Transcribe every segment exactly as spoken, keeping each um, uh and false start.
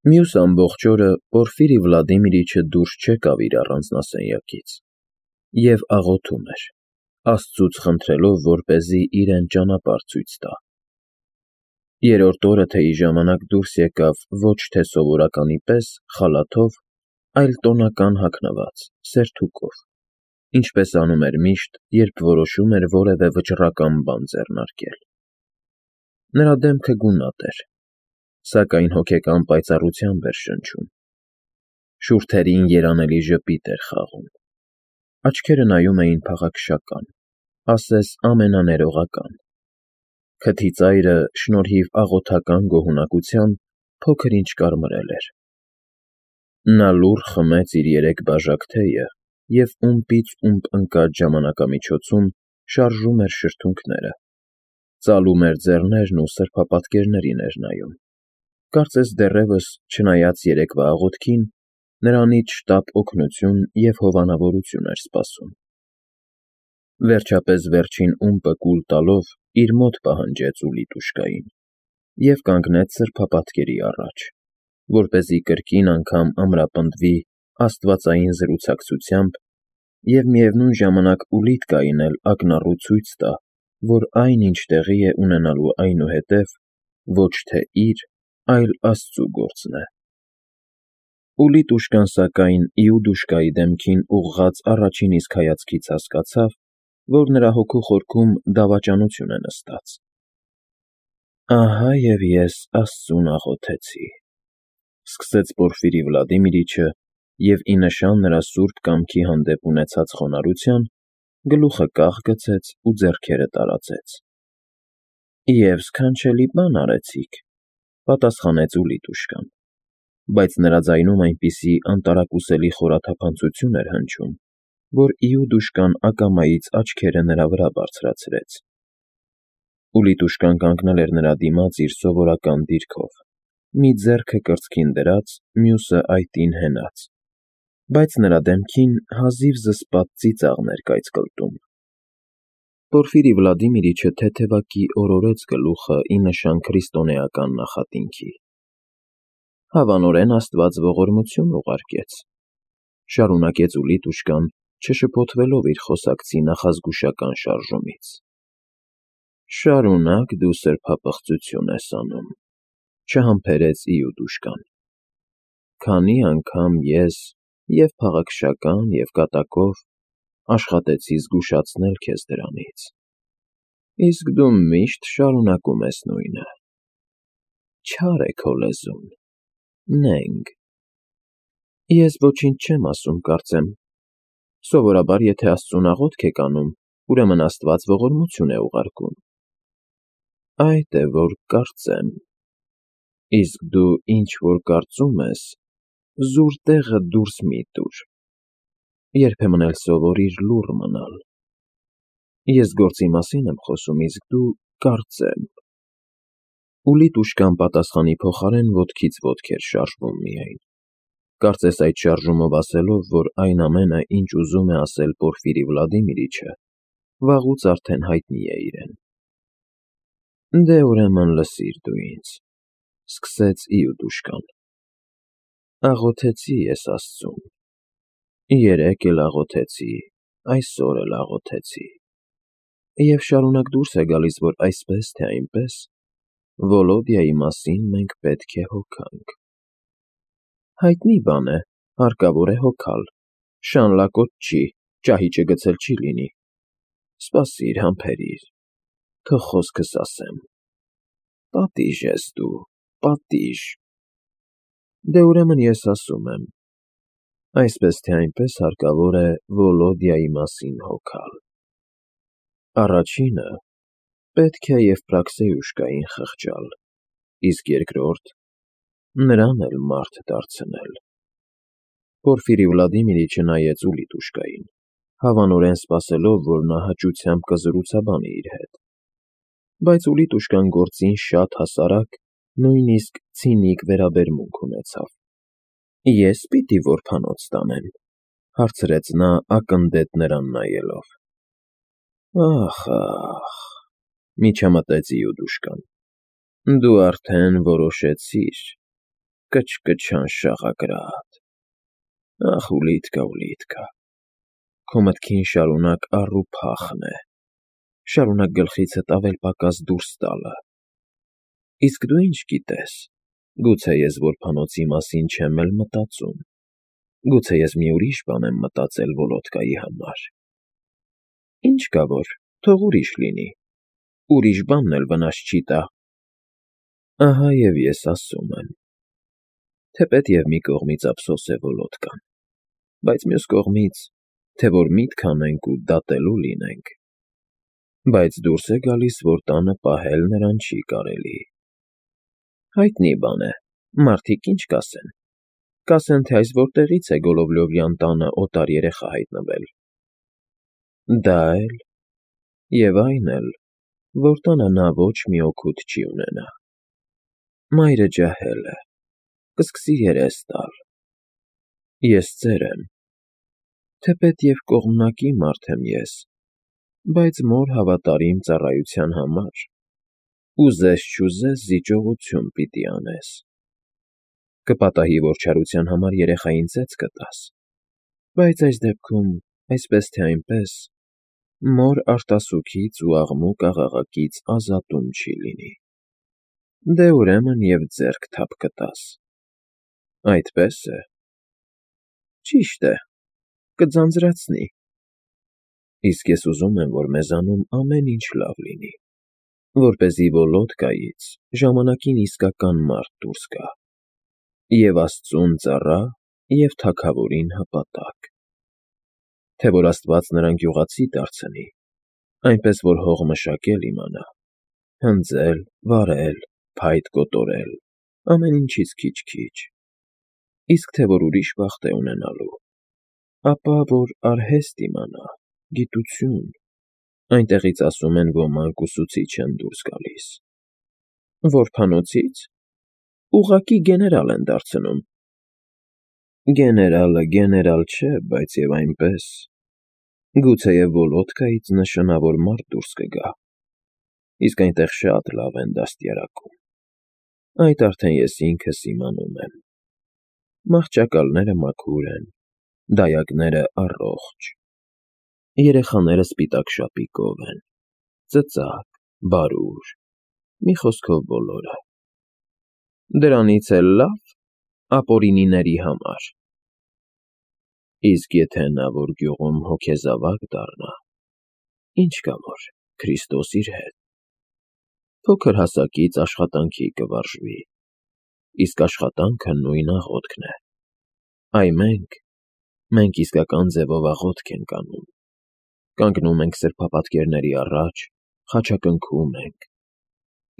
Մյուս ամբողջ օրը Պորֆիրի Վլադիմիրիչը դուրս չեկավ իր առանձնասենյակից և աղոթում էր, Աստծուց խնդրելով, որպեսզի իրեն ճանապարհ ցույց տա։ Երրորդ օրը թեյի ժամանակ դուրս եկավ ոչ թե սովորականի պես խալաթով, այլ տոնական հագնված, սերթուկով, ինչպես անում էր միշտ, երբ որոշում էր որևէ վճռական բան ձեռնարկել։ Նրա դեմքը գունատ էր, սակայն հոգեկան պայծառությամբ էր շնչում։ Շուրթերին երանելի ժպիտ էր խաղում։ Աչքերը նայում էին փաղաքշական, ասես ամենաներողական։ Քթի ծայրը, շնորհիվ աղոթական գոհունակության, փոքր-ինչ կարմրել էր։ Նա լուռ խմեց իր երեք բաժակ թեյը և ումպից ումպ ընկած ժամանակամիջոցում շարժում էր շրթունքները, ծալում էր ձեռներն ու սրբապատկերներին էր նայում, կարծես դեռևս, չնայած երեկվա աղոթքին, նրանից շտապ օգնություն և հովանավորություն էր սպասում։ Վերջապես վերջին ումպը կուլ տալով իր մոտ պահանջեց Ուլիտուշկային և կանգնեց սրբապատկերի առաջ, որպեսզի կրկին անգամ ամրապնդվի աստվածային զրուցակցությամբ և միևնույն ժամանակ ուլիթ կայնել ակնառու ցույց տա, որ այն, ինչ տեղի է ունենալու այնուհետև, ոչ թե իր, այլ Աստծու գործն է։ Ուլիտուշկան, սակայն, Իուդուշկայի դեմքին ուղղած առաջին իսկ հայացքից հասկացավ, որ նրա հոգու խորքում դավաճանություն է նստած։ «Ահա և ես Աստծուն աղոթեցի,֊ սկսեց Պորֆիրի Վլադիմիրիչը և, ի նշան նրա սուրբ կամքի հանդեպ ունեցած խոնարհության, գլուխը կախ գցեց ու ձեռքերը տարածեց։ ֊ Եվ սքանչելի բան արեցիք,֊ պատասխանեց Ուլիտուշկան, բայց նրա ձայնում այնպիսի անտարակուսելի խորաթափանցություն էր հնչում, որ Իուդուշկան ակամայից աչքերը նրա վրա բարձրացրեց։ Ուլիտուշկան կանգնել էր նրա դիմաց իր սովորական դիրքով, մի ձեռքը կրծքին դրած, մյուսը այտին հենած, բայց նրա դեմքին հազիվ զսպած ծիծաղն էր կայծկլտում։ Պորֆիրի Վլադիմիրիչը թեթևակի օրորեց գլուխը ի նշան քրիստոնեական նախատինքի։ «Հավանորեն Աստված ողորմություն ուղարկեց,֊ շարունակեց Ուլիտուշկան, չշփոթվելով իր խոսակցի նախազգուշական շարժումից։ Շարունակ դու սրբապղծություն ես անում,֊ չհամբերեց Իուդուշկան։ Քանի անգամ ես և՛ փաղաքշական, և՛ կատակով աշխատեցի զգուշացնել քեզ դրանից, իսկ դու միշտ շարունակում ես նույնը… Չար է քո լեզուն, նենգ… Ես ոչինչ չեմ ասում, կարծեմ… Սովորաբար, եթե Աստծուն աղոթք եք անում, ուրեմն Աստված ողորմություն է ուղարկում… Այդ է, որ կարծեմ… Իսկ դու ինչ֊որ կարծում ես, զուր տեղը դուրս մի՛ տուր… Երբեմն էլ սովորիր լուռ մնալ… Ես գործի մասին եմ խոսում, իսկ դու կարծեմ… Ուլիտուշկան պատասխանի փոխարեն ոտքից ոտք էր շարժվում միայն, կարծես այդ շարժումով ասելով, որ այն ամենը, ինչ ուզում է ասել Պորֆիրի Վլադիմիրիչը, վաղուց արդեն հայտնի է իրեն։ ֊ Դե, ուրեմն լսիր դու ինձ,֊ սկսեց Իուդուշկան. աղոթեցի ես Աստծուն, երեկ էլ աղոթեցի, այսօր էլ աղոթեցի, և շարունակ դուրս է գալիս, որ այսպես թե այնպես, Վոլոդյայի մասին մենք պետք է հոգանք… Հայտնի բան է, հարկավոր է հոգալ, շան լակոտ չի, ճահիճը գցել չի լինի… Սպասիր, համբերիր, թող խոսքս ասեմ… Պատիժ ես դու, պատիժ… Դե, ուրեմն ես ասում եմ. այսպես թե այնպես հարկավոր է Վոլոդյայի մասին հոգալ… Առաջինը պետք է Եվպրաքսեյուշկային խղճալ, իսկ երկրորդ՝ նրան էլ մարդ դարձնել… Պորֆիրի Վլադիմիրիչը նայեց Ուլիտուշկային, հավանորեն սպասելով, որ նա հաճությամբ կզրուցաբանի իր հետ, բայց Ուլիտուշկան գործին շատ հասարակ, նույնիսկ ցինիկ վերաբերմունք ունեցավ։ ֊ Ե՞ս պիտի որբանոց տանեմ,֊ հարցրեց նա ակնդետ նրան նայելով։ ֊ Ախ, ախ,֊ միջամտեց Իուդուշկան,֊ դու արդեն որոշեցիր… կչկչան շաղակրատ։ Ախ, ուլիտկա, ուլիտկա, քո մտքին շարունակ առ ու փախն է, շարունակ գլխիցդ ավել֊պակաս դուրս տալը։ Իսկ դու ինչ գիտես, գուցե ես որբանոցի մասին չեմ էլ մտածում, գուցե ես մի ուրիշ բան եմ մտածել Վոլոդկայի համար։ Ինչ կա որ, թող ուրիշ լինի, ուրիշ բանն էլ վնաս չի տա։ Ահա և ես ասում եմ, թեպետ և մի կողմից ափսոս է Վոլոդկան, բայց մյուս կողմից, թե որ միտք անենք ու դատելու լինենք, բայց դուրս է գալիս, որ տանը պահել նրան չի կարելի։ Հայտնի բան է, մարդիկ ինչ կասեն, կասեն, թե այս որտեղից է Գոլովլյովյան տանը օտար երեխա հայտնվել։ Դա էլ, և այն էլ, որ տանը նա ոչ մի օգուտ չի ունենա։ Մայրը ջահել է, կսկսի երես տալ։ Ես ծեր եմ, թեպետ և կողմնակի մարդ եմ ես, բայց մոր հավատարիմ ծառայության համար, ուզես-չուզես զիջողություն պիտի անես։ Կպատահի, որ չարության համար երեխային ծեծ կտաս, բայց այս դեպքում, այսպես թե այնպես, մոր արտասուքից ու աղմուկ-աղաղակից ազատում չի լինի։ Դե ուրեմն և ձեռք թափ կտաս։ Այդպես է։ Ճիշտ է, կձանձրացնի։ Իսկ ես ուզում եմ, որ մեզանում ամեն ինչ լավ լինի, որպեսզի Վոլոդկայից ժամանակին իսկական մարդ դուրս գա, և աստծուն ծառա, և թագավորին հպատակ, թե որ աստված նրան գյուղացի դարձնի, այնպես որ հող մշակել իմանա, հնձել, վարել, փայտ կոտորել, ամեն ինչից քիչ֊քիչ, իսկ թե որ ուրիշ բախտ է ունենալու, ապա որ արհեստ իմանա, գիտություն, այնտեղից ասում են ոմանք ուսուցիչ են դուրս գալիս։ Որբանոցի՞ց, ուղղակի գեներալ են դարձնում։ Գեներալը գեներալ չէ, բայց և այնպես, գուցեև Վոլոդկայից նշանավոր մարդ դուրս կգա, իսկ այնտեղ շատ լավ են դաստիարակում։ Այդ արդեն ես ինքս իմանում եմ։ Մահճակալները մաքուր են, դայակները առողջ, երեխաները սպիտակ շապիկով են, ծծակ, բարուր, մի խոսքով բոլորը։ Դրանից էլ լավ ապօրինիների համար։ Իսկ եթե նա որ գյուղում հոգեզավակ դառնա, ինչ կա որ, Քրիստոս իր հետ, փոքր հասակից աշխատանքի կվարժվի, իսկ աշխատանքը նույն աղոթքն է։ Այ մենք, մենք իսկական ձևով աղոթք ենք անում, կանգնում ենք սրբապատկերների առաջ, խաչակնքում ենք,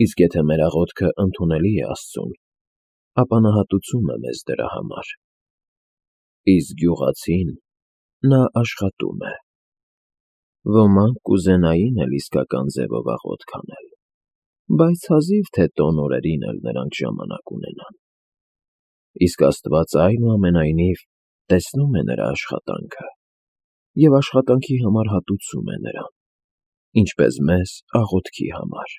իսկ եթե մեր աղոթքը ընդունելի է աստծուն, ապա նա հատուցում է մեզ դրա համար։ Իսկ գյուղացին, նա աշխատում է։ Ոմանք կուզենային էլ իսկական ձևով աղոթք անել, բայց հազիվ թե տոն օրերին էլ նրանք ժամանակ ունենան։ Իսկ աստված այնուամենայնիվ տեսնում է նրա աշխատանքը և աշխատանքի համար հատուցում է նրան, ինչպես մեզ աղոթքի համար։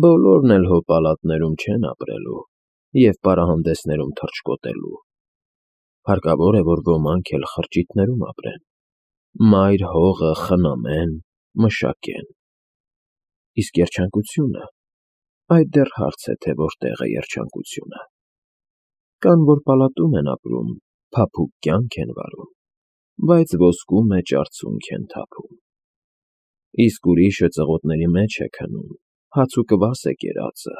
Բոլորն էլ հո պալատներում չեն ապրելու և պարահանդեսներում թռչկոտելու։ Հարկավոր է, որ ոմանք էլ խրճիթներում ապրեն, մայր հողը խնամեն, մշակեն։ Իսկ երջանկությունը, այդ դեռ հարց է, թե որտեղ է երջանկությունը։ Կան, որ պալատում են ապրում, փափուկ կյանք են վարում, բայց ոսկու մեջ արցունք են թափում։ Իսկ ուրիշը ծղոտների մեջ է քնում, հաց ու կվաս է կերածը,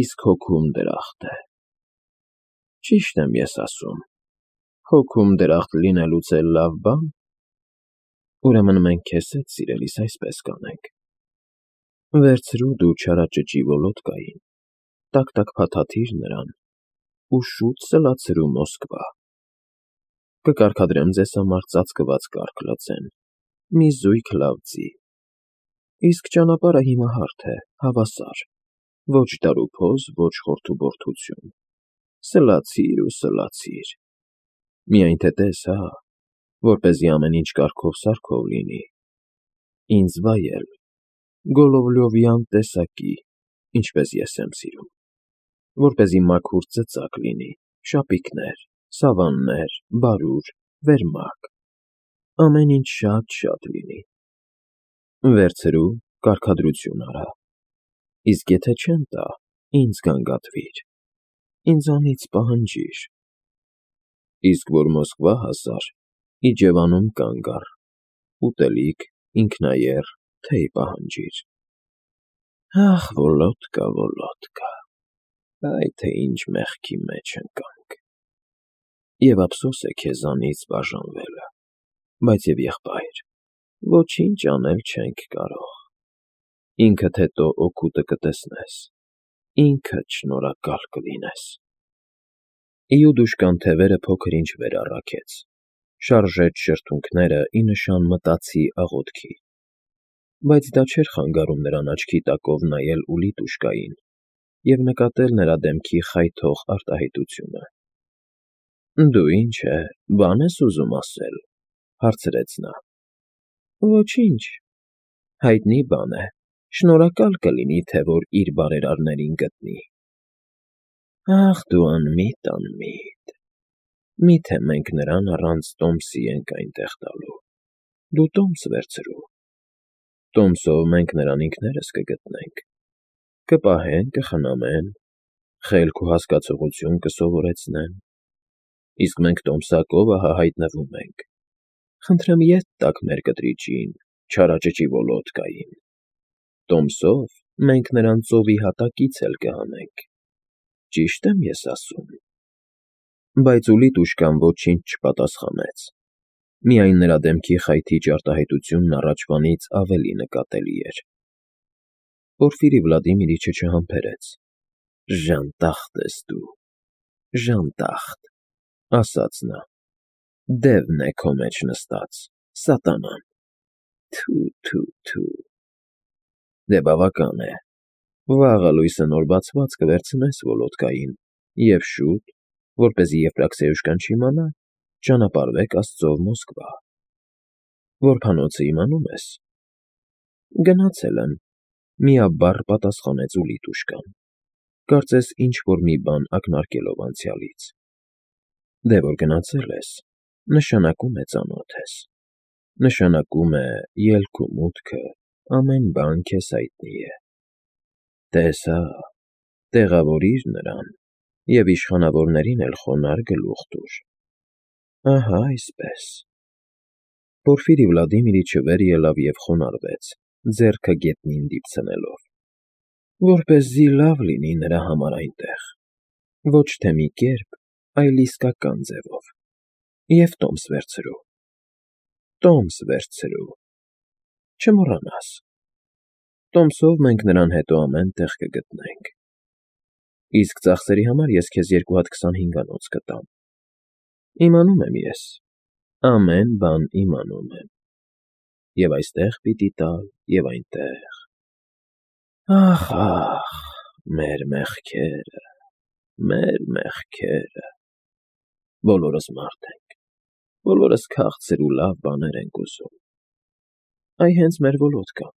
իսկ հոգում դրախտ է։ Ճիշտ եմ ես ասում, հոգում դրախտ լինելուց էլ լավ բա՞ն։ Ուրեմն մենք քեզ հետ, սիրելիս, այսպես կանենք. վերցրու դու չարաճճի Վոլոդկային, տակ֊տակ փաթաթիր նրան ու շուտ սլացրու Մոսկվա։ Կկարգադրեմ ձեզ համար ծածկված կարգ լծեն, մի զույգ լավ ձի։ Իսկ ճանապարհը հիմա հարթ է, հավասար, ոչ դարուփոս, ոչ խորթուբորթություն, սլացիր ու սլացիր։ Միայն թե տես, հա, որպեսզի ամեն ինչ կարգով֊սարքով լինի, ինձ վայել, Գոլովլյովյան տեսակի, ինչպես ես եմ սիրում։ որպեսզի մաքուր ծծակ լինի, շապիկներ, սավաններ, բարուր, վերմակ, ամեն ինչ շատ֊շատ լինի։ Վերցրու, կարգադրություն արա, իսկ եթե չեն տա, ինձ գանգատվիր, ինձանից պահանջիր, իսկ որ Մոսկվա հասար, Իջևանում կանգ առ, ուտելիք, ինքնաեռ, թեյ պահանջիր։ Ախ, Վոլոդկա, Վոլոդկա, այ թե ինչ մեղքի մեջ ընկանք։ Եվ ափսոս է քեզանից բաժանվելը, բայց և եղբայր, ոչինչ անել չենք կարող, ինքդ հետո օգուտը կտեսնես, ինքդ շնորհակալ կլինես։ Իուդուշկան թևերը փոքր-ինչ վեր առաքեց, շարժեց շրթունքները ի նշան մտածի աղոթքի, բայց դա չէր խանգարում նրան աչքի տակով նայել Ուլիտուշկային և նկատել նրա դեմքի խայթող արտահայտությունը։ Դու ինչ է, բան ես ուզում ասել, հարցրեց նա։ Ոչինչ, հայտնի բան է, շնորհակալ կլինի, թե որ իր բարերարներին գտնի։ Ախ, դու անմիտ, անմիտ, միթե մենք նրան առանց Տոմսի ենք այնտեղ տալու, դու Տոմս վերցրու, Տոմսով մենք նրան ինքներս կգտնենք, կպահեն, կխնամեն, խելք ու հասկացողություն կսովորեցնեն, իսկ մենք տոմսակով ահա հայտնվում ենք, խնդրեմ ետ տաք մեր կտրիճին, չարաճճի Վոլոդկային, Տոմսով մենք նրան ծովի հատակից էլ կհանենք, ճի՞շտ եմ ես ասում։ Բայց Ուլիտուշկան ոչինչ չպատասխանեց, միայն նրա դեմքի խայթիչ արտահայտությունն առաջվանից ավելի նկատելի էր։ Պորֆիրի Վլադիմիրիչը չհամբերեց. Ժանտախտ ես դու, ժանտախտ, ասաց նա, դևն է քո մեջ նստած, սատանան, թու, թու, թու։ Դե բավական է, վաղը լույսը նոր բացված կվերցնես Վոլոդկային և շուտ, որպեսզի Եֆրաքսիոյուշկան չիմանա, ճանապարհվեք Աստծով Մոսկվա։ Որբանոցը իմանում ես։ Գնացել եմ, միաբառ պատասխանեց Ուլիտուշկան, կարծես ինչ-որ մի բան ակնարկելով անցյալից։ Դե որ գնացել ես, նշանակում է ծանոթ ես, նշանակում է ելք ու մուտքը, ամեն բան քեզ հայտնի է։ Տես հա, տեղավորիր նրան և իշխանավորներին էլ խոնարհ գլուխ տուր։ Ահա այսպես։ Պորֆիրի Վլադիմիրիչը վեր ելավ և խոնարհվեց, ձեռքը գետնին դիպցնելով, որպեսզի լավ լինի նրա համար այնտեղ, ոչ թե մի կերպ, այլ իսկական ձևով, և Տոմս վերցրու, Տոմս վերցրու, չմոռանաս, Տոմսով մենք նրան հետո ամեն տեղ կգտնենք, իսկ ծախսերի համար ես քեզ երկու հատ քսանհինգանոց կտամ, իմանում եմ ես, ամեն բան իմանում եմ, և այստեղ պիտի տալ, և այնտեղ, ախ, ախ, մեր մեղքերը, մեր մեղքերը, բոլորս մարդ ենք, բոլորս քաղցր ու լավ բաներ ենք ուզում, այ հենց մեր Վոլոդկան,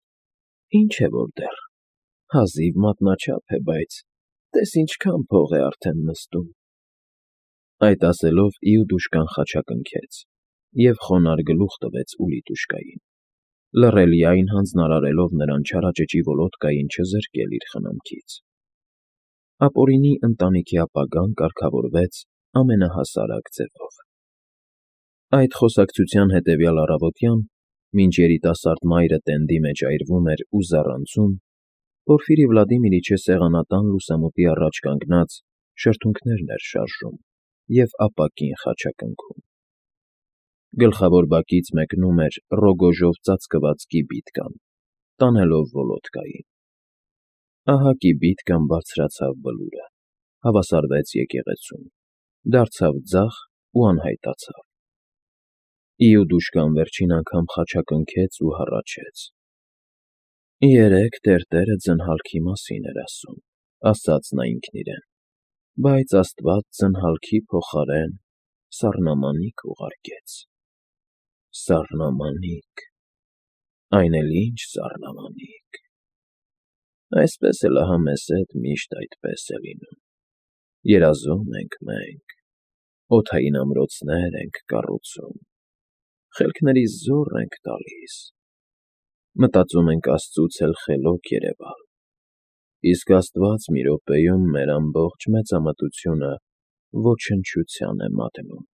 ինչ է որ դեռ, հազիվ մատնաչափ է, բայց տես ինչքան փող է արդեն նստում։ Այդ ասելով Իուդուշկան խաչակնքեց և խոնարհ գլուխ տվեց Ուլիտուշկային, լռելիայն հանձնարարելով նրան չարաճճի Վոլոդկային չզրկել իր խնամքից։ Ապօրինի ընտանիքի ապագան կարգավորվեց ամենահասարակ ձևով։ Այդ խոսակցության հետևյալ առավոտյան, մինչ երիտասարդ մայրը տենդի մեջ այրվում էր ու զառանցում, Պորֆիրի Վլադիմիրիչը սեղանատան լուսամուտի առաջ կանգնած շրթունքներն էր շարժում և ապակին խաչակնքում։ Գլխավոր բակից մեկնում էր ռոգոժով ծածկված կիբիտկան, տանելով Վոլոդկային։ Ահա կիբիտկան բարձրացավ բլուրը, հավասարվեց եկեղեցուն, դարձավ ձախ ու անհայտացավ։ Իուդուշկան վերջին անգամ խաչակնքեց ու հառաչեց։ Երեկ տերտերը ձնհալքի մասին էր ասում, ասաց նա ինքն իրեն, բայց Աստված ձնհալքի փոխարեն սառնամանիք ուղարկեց։ Սառնամանիք, այն էլ ինչ սառնամանիք։ Այսպես էլ ահա մեզ հետ միշտ այդպես է լինում։ Երազում ենք մենք, օդային ամրոցներ ենք կառուցում, խելքներիս զոռ ենք տալիս, մտածում ենք աստծուց էլ խելոք երևալ, իսկ աստված մի րոպեում մեր ամբողջ մեծամտությունը ոչնչության է մատնում։